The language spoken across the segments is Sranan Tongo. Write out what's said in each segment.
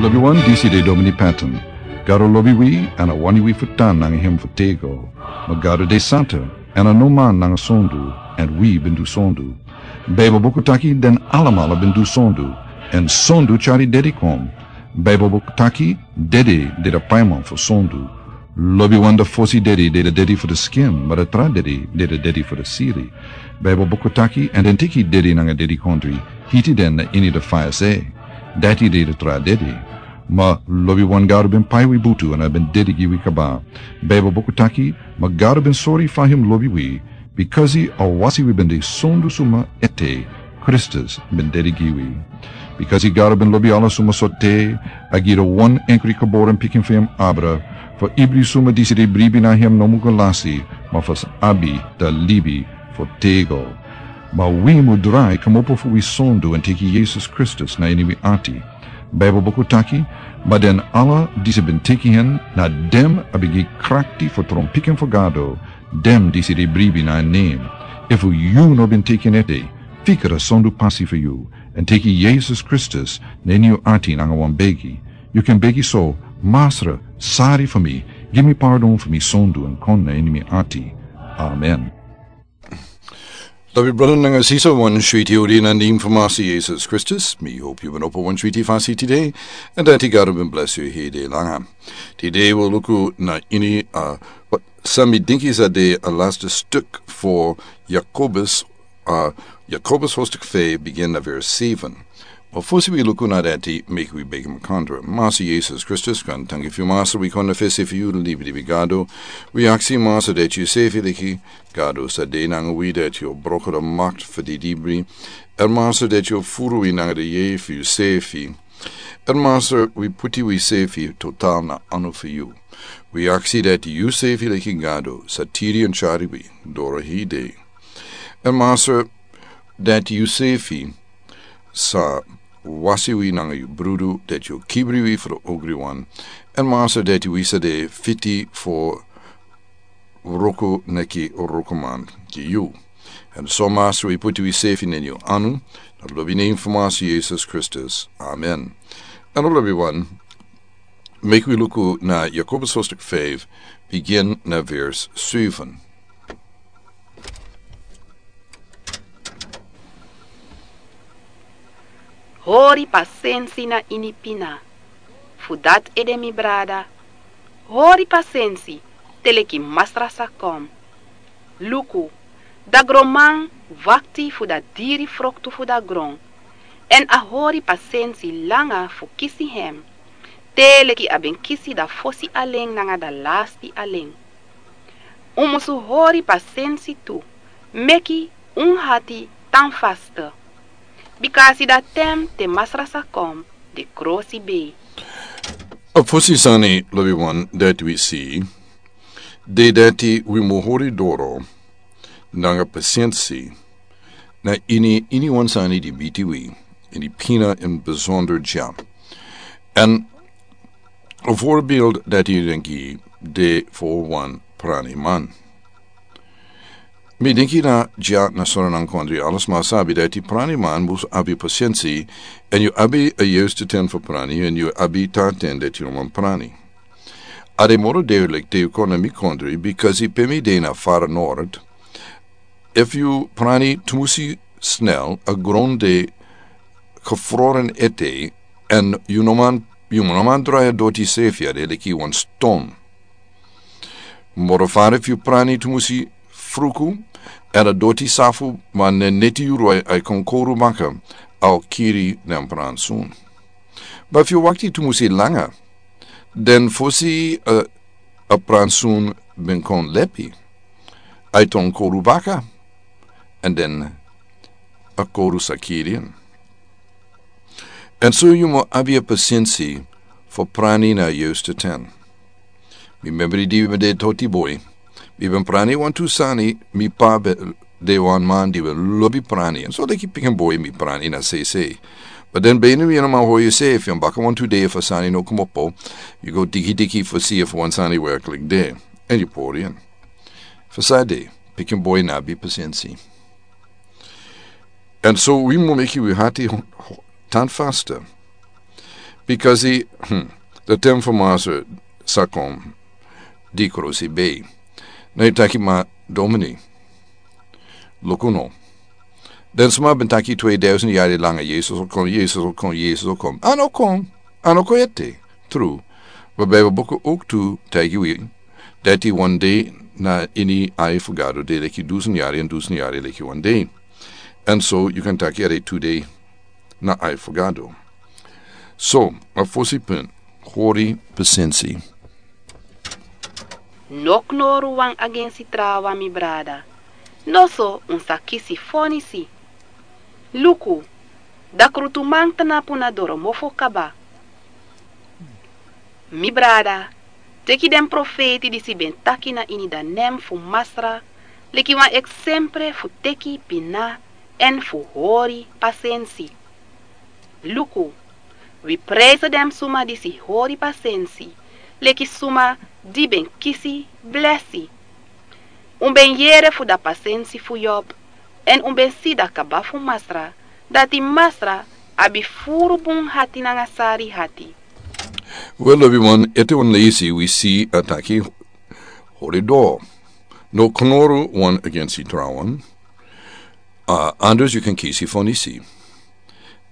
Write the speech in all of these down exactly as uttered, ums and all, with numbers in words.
Lobiwan, disi de Domini Patton. Gado lobi wi, èn a wani wi fu tan nanga hem fu tego. Ma Gado de santa, èn a no man nanga sondu, èn wi ben du sondu. Baibel buku taki den alamala ben du sondu, èn sondu tyari dedi kon. Baibel buku taki dede de da paiman fu sondu. Lobiwan, da fosi dedi de da dedi fu da skin, ma da tra dedi de da dedi fu da siri. Baibel buku taki, èn den teki dedi nanga dedikondri, hiti den na ini da faya se. Dati de da tra dedi. Ma lobiwan, Gado ben pai wi butu èn a ben dedi gi wi kaba. Baibel buku taki, ma Gado ben sori fa hem lobi wi, bikasi a wasi wi ben de sondu suma ete, Kristus ben dedi gi wi. Bikasi Gado ben lobi ala suma so te, a gi da wan enkri geboren pikin fu hem abra, fu ibri suma disi de bribi na hem no mu go lasi, ma fu sa abi da libi fu tego. Ma wi mu drai kmopo fu wi sondu èn teki Yesus Kristus na ini wi ati. Baibel buku taki, ma den ala disi ben teki hen, na den a ben gi krakti fu tron pikin fu Gado, den disi de bribi na en nen. Efu yu no ben teki en ete, fika da sondu pasi fu yu, èn teki Yesus Kristus na ini yu ati nanga wan begi. Yu kan begi so: Masra, sari fu mi, gi mi pardon fu mi sondu èn kon na ini mi ati. Amen. Lobi brada nanga sisa, wan switi odi na nen fu Masi Yesus Kristus. Mi hopi yu ben opo wan switi fasi tide, èn dati Gado ben bless yu hede langa. Tide wi o luku na ini, a, san mi dinki sa de a lasta stuk fu Jakobus, a, Jakobus hoofdstuk feifi, bigin na vers seven. Ma fosi wi luku na dati, meki wi begi makandra. Masi Yesus Kristus, kon tangi fu yu, Masi, wi kon na fesi fu yu, libi di wi Gado. Wi aksi, Masi, dati yu sefi leki Gado sa de nanga wi, dati yu o broko da makti fu di dibri. Èn Masi, dati yu o furu wi nanga di yeye fu yu sefi. Èn Masi, wi puti wi sefi total na anu fu yu. Wi aksi dati yu sefi leki Gado sa tiri èn tyari wi doro hede. Èn Masi, dati yu sefi sa wasi wi nanga yu brudu, dati yu o kibri wi fu da ogriwan. Èn Masi, dati wi sa de fiti fu wroko leki wrokoman gi yu. Èn so Masi, wi puti wi sefi na ini yu anu, na lobi nen fu Masi Yesus Kristus. Amen. Èn lobiwan, meki wi luku na Jakobus hoofdstuk feifi, bigin na vers seven. Hori pasensi na ini pina. Fu dati ede, mi brada, hori pasensi te leki Masra sa kon. Luku, da gronman wakti fu da diri froktu fu da gron, èn a hori pasensi langa fu kisi hem, te leki a ben kisi da fosi alen nanga da lasti alen. Un musu hori pasensi tu, meki un hati tan fasta, bikasi da ten te Masra sa kon de krosi bei. A fosi sani, lobiwan, dati wi si de dati wi mu hori doro nanga pasensi na ini, ini wan sani di bitiwi, ini pina, ini besonder dya. Èn a voorbeeld dati yu denki de fu wan praniman. Mi denki na dya na Sranan Kondre, ala sma sabi dati praniman mus abi pasensi, èn yu abi a juiste ten fu prani, èn yu abi tra ten dati yu no man prani. A de moro duidelijk te yu kon na mi kondre, bikasi pe mi de na fara nord. Efu yu prani tumusi snel, a gron de gefroren ete, èn yu no man, yu no man drai a doti sefi, a de leki wan ston. Moro fara efu yu prani tumusi fruku, èn a doti safu, ma na neti yuru a e kon koru baka, a o kiri den pransun. Ma efu yu wakti tumusi langa, den fosi, eh, a pransun ben kon lepi, a e tron koru baka, èn den a koru sa kiri en. Èn so yu mu abi a pasensi fu prani na a juiste ten. Mi memri di mi ben de toti boi, mi ben prani wantu sani, mi pa ben de wan man di ben lobi prani. Èn so leki pikin boi mi prani na sei sei. Ma den bene wi no man hori yu se, efu yu baka wantu dei efu a sani no kmopo, yu go diki diki fu si efu wan sani werkelijk de. Èn yu pori en. Fu san de, pikin boi no abi pasensi. Èn so wi mu meki wi hati ho-, ho-, tan fasta. Bikasi, hmm, the ten for master sa kon di krusi bei. Na yu taki ma domini. Luku no. Den suma ben taki twee duizend yari langa Yesus o kon, Yesus o kon, Yesus o kon. A no kon. A no kon ete. Tru. But Bijbel buku ook tu taigi wi dati wan dei na ini ai fu Gado de leki dusun yari, en dusun yari leki wan dei. And so you can taki ere tu dei na ai fu Gado. So a fosi pun, hori pasensi. No knoru wan agensi trawan, mi brada. Noso un sa kisi fonisi. Luku, da krutuman tnapu na doro mofo kaba. Mi brada, teki den profeiti disi ben taki na ini da nen fu Masra leki wan eksempre fu teki pina èn fu hori pasensi. Luku, wi prijsi den suma disi hori pasensi leki suma di ben kisi blesi. Un ben yere fu da pasensi fu Yob, èn un ben si da kaba fu Masra, dati Masra abi furu bun hati nanga sari hati. Wel, lobiwan, ete wan leisi wi si a taki hori doro. No knoru wan agensi trawan. A, anders yu kan kisi fonisi.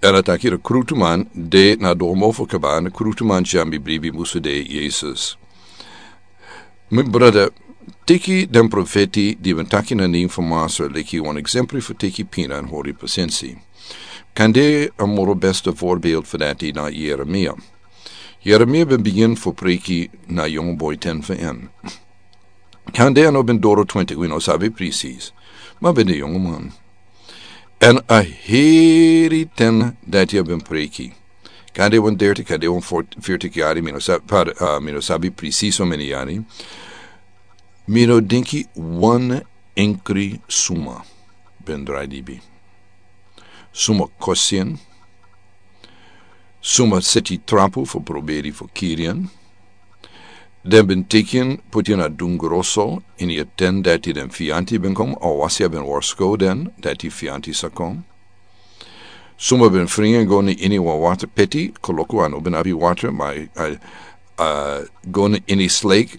Èn a taki da krutuman de na doro mofo kaba, na krutuman san ben bribi musu de Yesus. Mi brada, teki den profeti di ben taki na nen fu Masra leki wan eksempre fu teki pina èn hori pasensi. Kande a moro beste voorbeeld fu dati na Yeremia. Yeremia ben bigin fu preki na yongu boi ten fu en. Kande a no ben doro twintig, wi no sabi presis. Ma ben de yongu man. Èn a heri ten dati a ben preki. Kande wan dertig, kande wan veertig yari, mi no sabi, pardon, a, mi no sabi presis how many yari. Mi no denki wan enkri suma ben drai dibi. Suma kosi en. Suma seti trapu fu proberi fu kiri en. Den ben teki en poti en na dungru oso, ini a ten dati den fianti ben kon, a wasi a ben warskow den dati fianti sa kon. Suma ben fringi en go na ini wan water peti, koloku a no ben abi water, ma a, a go na ini sleik,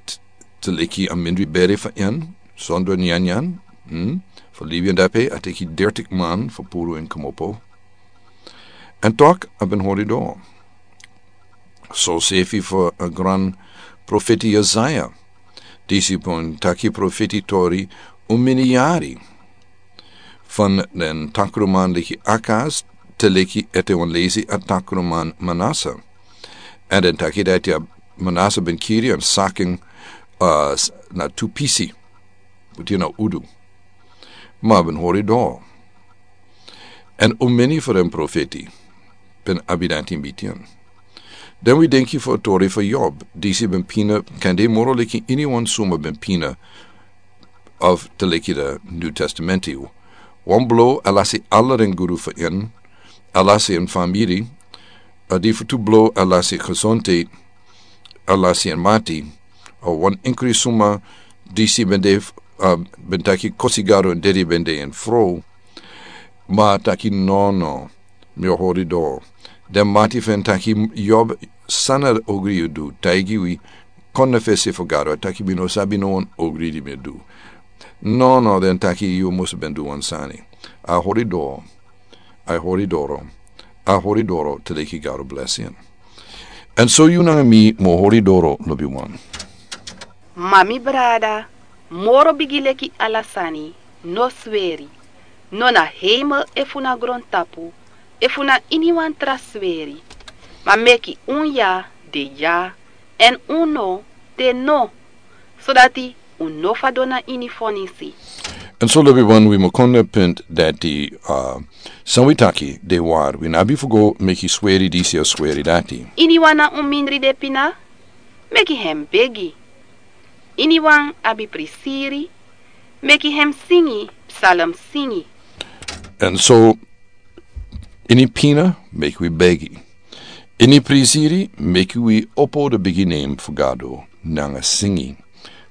te leki a mindri bere fu en, sondro nyanyan, hmm? Fu libi en dape, a teki dertig man fu puru en komopo. Èn tok a ben hori doro. So sefi fu a gran profeti Yesaya. Disi ben taki profeti tori un mini yari. Fan den takruman leki Akas, te leki ete wan leisi a takruman Manasa. Èn den taki dati a Manasa ben kiri en sakin, a, s-, na tu pisi. Poti en na udu. Ma a ben hori doro. Èn un mini fu den profeti ben abi dati ini bun. Den wi denki fu a tori fu Yob, disi ben pina, kande moro leki iniwan suma ben pina, of te leki da New Testament. Wan blo a lasi ala den guru fu en, a lasi en famiri, a di fu tu blo a lasi gesondheid, a lasi en mati, a wan enkri suma disi ben de, a, ben taki kosi Gado èn dedi ben de en frow. Ma a taki no, no, mi o hori doro. Den mati fu en taki Yob, san na ogri yu du, taigi wi, kon na fesi fu Gado, a taki mi no sabi no wan ogri di mi du. No, no, den taki yu mus ben du wan sani. A hori doro, a hori doro, a hori doro te leki Gado blesi en. Èn so yu nanga mi mu hori doro, lobiwan. Ma mi brada, moro bigi leki ala sani, no sweri. No na heimel efu na grontapu, efu na iniwan tra sweri. Ma meki un ya de ya, èn un no de no. Sodati un no fadon na ini fonisi. Èn so lobiwan wi mu kon na punt dati, a, san wi taki de wari, wi no abi fu go meki sweri disi o sweri dati. Iniwan na un mindri de pina, meki hem begi. Iniwan abi prisiri, meki hem singi psalm singi. Èn so ini pina meki wi begi. Ini prisiri meki wi opo da bigi nen fu Gado nanga singi.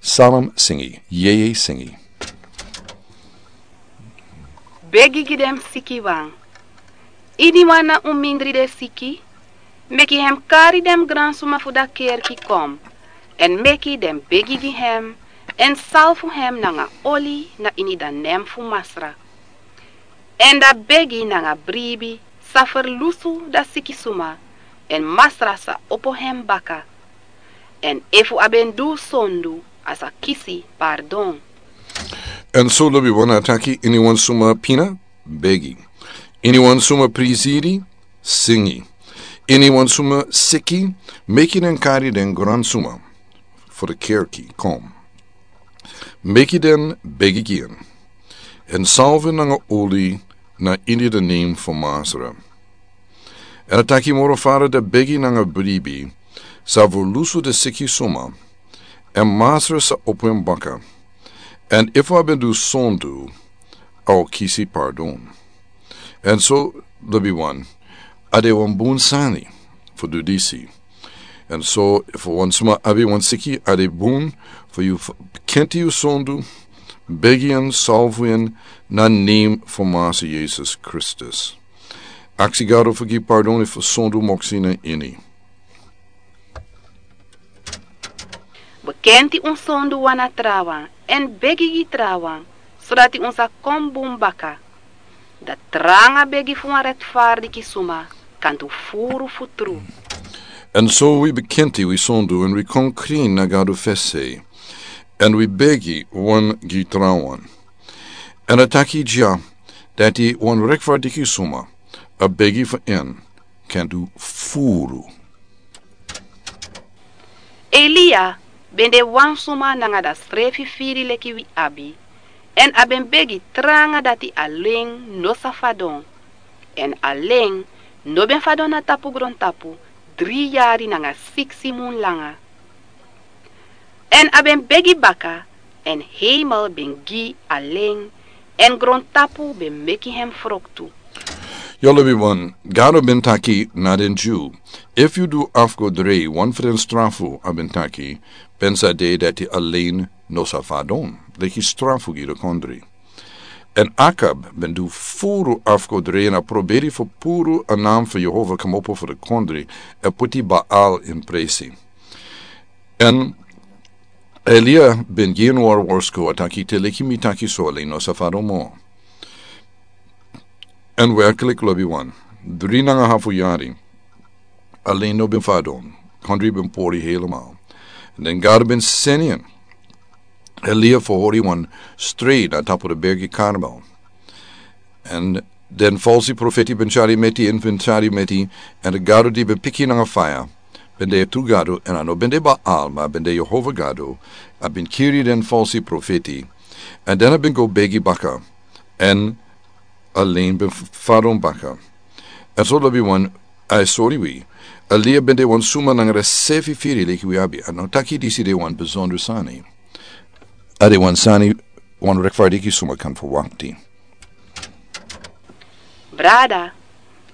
Psalm singi, yeye singi. Begi gi den sikiwan. Iniwan na un mindri de siki, Meki hem kari den gransuma fu da kerki kon, èn meki den begi gi hem, èn salfu hem nanga oli na ini da nen fu Masra. Èn da begi nanga bribi sa ferlusu da siki suma, èn Masra sa opo hem baka. Èn efu a ben du sondu, a sa kisi pardon. Èn so lobi wan a taki: iniwan suma pina, begi. Iniwan suma prisiri, singi. Iniwan suma siki, meki den kari den gransuma fu da kerki kon. Meki den begi gi en, èn salfu en nanga oli na ini da nen fu Masra. Èn a taki moro fara: da begi nanga bribi sa ferlusu da siki suma, èn Masra sa opo en baka. Èn efu a ben du sondu, a o kisi pardon. Èn so lobi wan, a de wan bun sani fu du disi. Èn so efu wan suma abi wan siki, a de bun fu yu f-, kenti yu sondu, begi en, salfu en na nen fu Masra Yesus Kristus. Aksi Gado fu gi pardon efu sondu moksi na ini. Bekenti un sondu wan na trawan, èn begi gi trawan, sodati un sa kon bun baka. Da tranga begi fu wan retfardiki suma kan du furu fu tru. Èn so wi bekenti wi sondu, èn wi kon krin na Gado fesi, èn wi begi wan gi trawan. Èn a taki dya dati wan retfardiki suma a begi fu en kan du furu. Elia ben de wan suma nanga da srefi firi leki wi abi, èn a ben begi tranga dati a len no sa fadon. Èn a len no ben fadon na tapu grontapu dri yari nanga siksi mun langa. Èn a ben begi baka, èn heimel ben gi a len, èn grontapu ben meki hem froktu. Yu lobi wan, Gado ben taki na den Dyu: efu yu du afgoderei, wan fu den strafu, a ben taki, ben sa de dati a len no sa fadon leki strafu gi da kondre. Èn Akab ben du furu afgoderei, èn a proberi fu puru a nen fu Yehova komopo fu da kondre, èn puti Baal ini presi. Èn Elia ben gi en wari worsko, a taki: te leki mi taki so, a len no sa fadon moro. Èn werklik lobi wan, dri nanga hafu yari a len no ben fadon, kondre ben pori helemaal. Èn den Gado ben seni en Elia fu hori wan strei na tapu da bergi Karmel. Èn den falsi profeti ben tyari meti, èn ben tyari meti, èn da Gado di ben piki nanga faya ben de tru Gado, èn a no ben de Baal, ma ben de Yehova Gado, a ben kiri den falsi profeti. Èn den a ben go begi baka, èn a len ben f-, fadon baka. Èn so lobi wan, a e sori wi, Elia ben de wan suma nanga da srefi firi leki wi abi. A no taki disi de wan besonder sani. A de wan sani wan retfardiki suma kan ferwakti. Brada,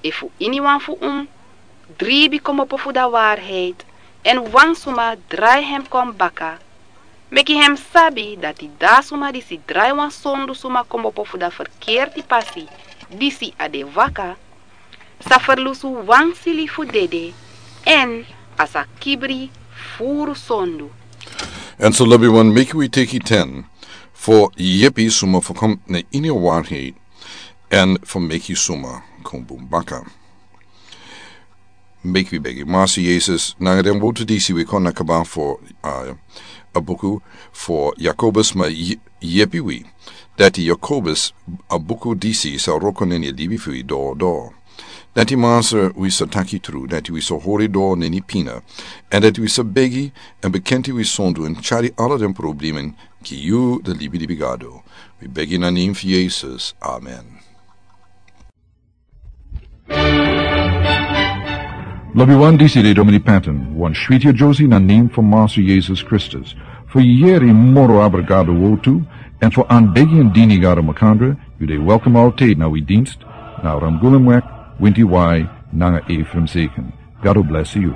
efu iniwan fu un dribi komopo fu da waarheid, èn wan suma drai hem kon baka, meki hem sabi dati da suma disi drai wan sondu suma komopo fu da ferkerti pasi disi a de waka, sa ferlusu wan sili fu dede, èn a sa kibri furu sondu. Èn so lobi wan, meki wi teki ten fu yepi suma fu kon na ini a waarheid, èn fu meki suma kon bun baka. Meki wi begi. Masra Yesus, nanga den wortu disi wi kon na kaba fu, a, a buku fu Yakobus, ma ye-, yepi wi dati Yakobus, a buku disi sa wroko na ini a libi fu wi doro doro. Dati Masra, wi sa taki tru, dati wi sa hori doro na ini pina, èn dati wi sa begi èn bekenti wi sondu èn tyari ala den problema gi yu, da libilibi Gado. Wi begi na nen fu Yesus. Amen. Lobi wan, disi de Domini Patton, wan switi a Josie na nen fu Masra Yesus Kristus. Fu yeri moro abra Gado wortu, èn fu anbegi èn dini Gado makandra, yu de welkom altijd na wi dienst, na Ramgulemweg, winti wai, nanga Ephraim Zeken. Gado blesi yu.